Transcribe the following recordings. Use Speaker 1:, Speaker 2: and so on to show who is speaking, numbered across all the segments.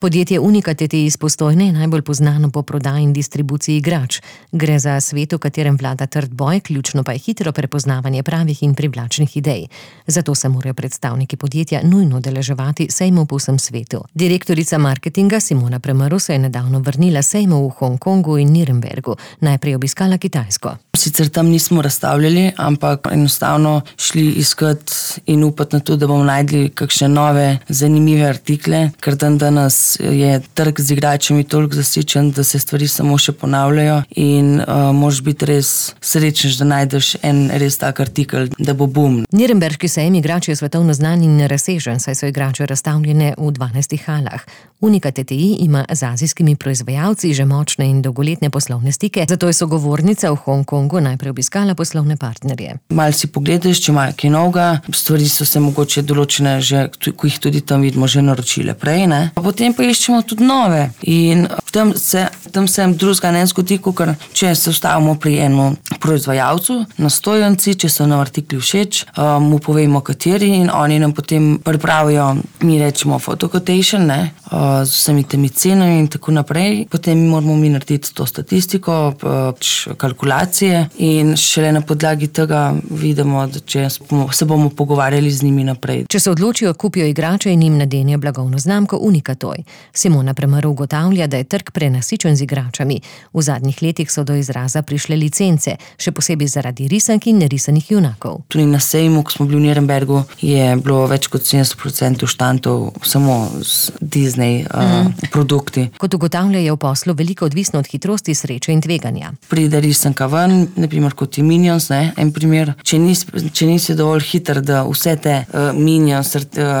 Speaker 1: Podjetje Unica TTI iz Postojne je najbolj poznano po prodaji in distribuciji igrač. Gre za svet, v katerem vlada trd boj, ključno pa je hitro prepoznavanje pravih in privlačnih idej. Zato se morajo predstavniki podjetja nujno udeleževati sejmov po vsem svetu. Direktorica marketinga Simona Premrl se je nedavno vrnila sejmov v Hongkongu in Nürnbergu. Najprej obiskala Kitajsko.
Speaker 2: Sicer tam nismo razstavljali, ampak enostavno šli iskat in upati na to, da bomo najdli kakšne nove, zanimive artikle, ker danes je trg z igračami toliko zasičen, da se stvari samo še ponavljajo in moraš biti res srečen, da najdeš en res tak artikel, da bo boom.
Speaker 1: Nürnberški sejem igrač je svetovno znan in razsežen, saj so igrače razstavljene v 12 halah. Unica TTI ima z azijskimi proizvajalci že močne in dolgoletne poslovne stike, zato je sogovornica v Hongkongu najprej obiskala poslovne partnerje.
Speaker 2: Malo si pogledaš, če imajo kaj novega, stvari so se mogoče določene že, ko jih tudi tam vidimo, že naročile prej, ne? Pa potem pa iščemo tudi nove in tam se drugega ne zgodi, ker če se ustavimo pri enem proizvajalcu na stojnici, če so nam artikli všeč, mu povemo kateri in oni nam potem pripravijo, mi rečemo photo quotation, ne, z vsemi temi cenami in tako naprej. Potem moramo mi narediti to statistiko, kalkulacije in šele na podlagi tega vidimo, da če se bomo pogovarjali z njimi naprej.
Speaker 1: Če se odločijo, kupijo igrače in jim nadenejo blagovno znamko Unica Toy. Simona Premrl ugotavlja, da je trg prenasičen z igračami. V zadnjih letih so do izraza prišle licence, še posebej zaradi risank in nerisanih junakov.
Speaker 2: Tudi na sejmu, ko smo bili v Nürnbergu, je bilo več kot 70% štandov samo z Disney produkti.
Speaker 1: Kot ugotavlja, je v poslu veliko odvisno od hitrosti, sreče in tveganja.
Speaker 2: Pride risanka ven, naprimer kot je Minions, ne, en primer. Če nisi dovolj hiter, da vse te Minions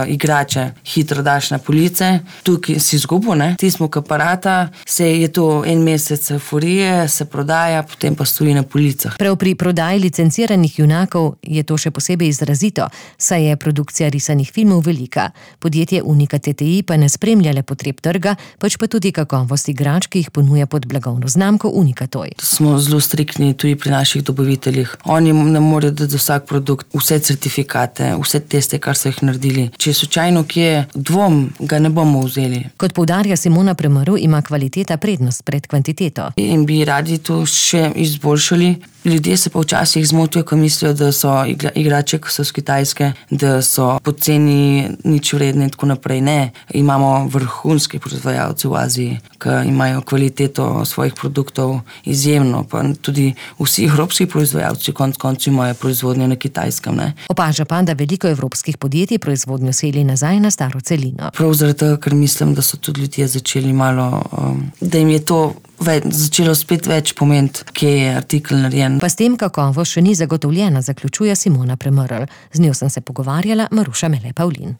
Speaker 2: igrače hitro daš na police, tukaj si izgubil, ne. Tismo aparata, je to en mesec euforije, se prodaja, potem pa stoji na policah.
Speaker 1: Prav pri prodaji licenciranih junakov je to še posebej izrazito, saj je produkcija risanih filmov velika. Podjetje Unica TTI pa ne spremlja le potreb trga, pač pa tudi kakovost igrač, ki jih ponuja pod blagovno znamko Unica Toy.
Speaker 2: Smo zelo striktni tudi pri naših dobaviteljih. Oni ne morejo dati za vsak produkt vse certifikate, vse teste, kar so jih naredili. Če je slučajno kje dvom, ga ne bomo vzeli.
Speaker 1: Kot poudarja Simona Premrl, ima kvaliteta prednost pred kvantiteto.
Speaker 2: In bi radi to še izboljšali. Ljudje se pa včasih zmotijo, ko mislijo, da so igrače, ko so z Kitajske, da so poceni, nič vredne in tako naprej. Ne, imamo vrhunske proizvajalce v Aziji, ki imajo kvaliteto svojih produktov izjemno, pa tudi vsi evropski proizvajalci konec koncev imajo proizvodnjo na Kitajskem. Ne.
Speaker 1: Opaža pa, da veliko evropskih podjetij proizvodnjo seli nazaj na staro celino.
Speaker 2: Prav zaradi tega, ker mislim, da so tudi ljudje začeli malo, da jim je to začelo spet več pomeniti, kje je artikel narejen.
Speaker 1: Pa s tem kakovost še ni zagotovljena, zaključuje Simona Premrl. Z njo sem se pogovarjala Maruša Mele Pavlin.